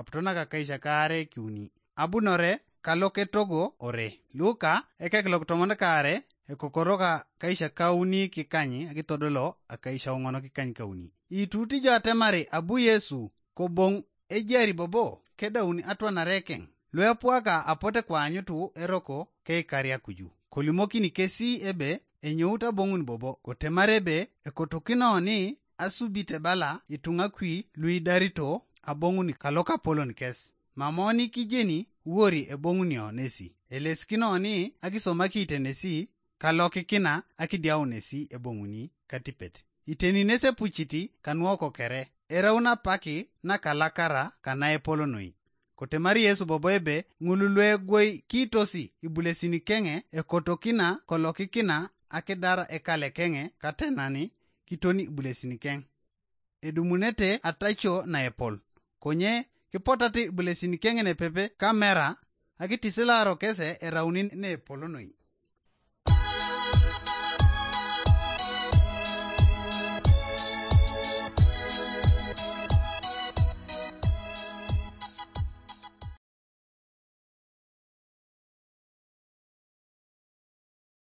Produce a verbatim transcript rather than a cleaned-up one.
aputonak akaisha kaare kiuni. Abunore kaloketogo ore. Luka ekek lokitomon kaare ekokoro ka akaisha kauni kikany akitodolo akaisha ong'ono kikany kauni. Itutija atemari abu Yesu kobong' ejari bobo kedauni atwanare keng'. Luepuaka apote kwaanyutu eroko keikaria kuju. Kolimokini kesi ebe enyout abong'un bobo kotemar ebe ekotokino ni asubit ebala ituŋa kwi luidarito abong'un kalokapolon kes. Mamoni kijeni wori eboŋunio nesi. Elesikino ni akisomaki tenesi kalokikina akidiaunesi eboŋuni katipet. Iteni nesepuciti kanuoko kere. Eraun apaki nakalakara kanaepol noi. Kotemari Yesu bobo ebe ŋulu luegwoi kiitosi ibulesin keŋe ekotokina kolokikina akidar ekale keŋe katenani kitoni ibulesin keŋ. Edumunete atacio naepol. Konye kipotate ibulesin keŋ nepepe kamera akitisilaro kese erauni neepolonoi.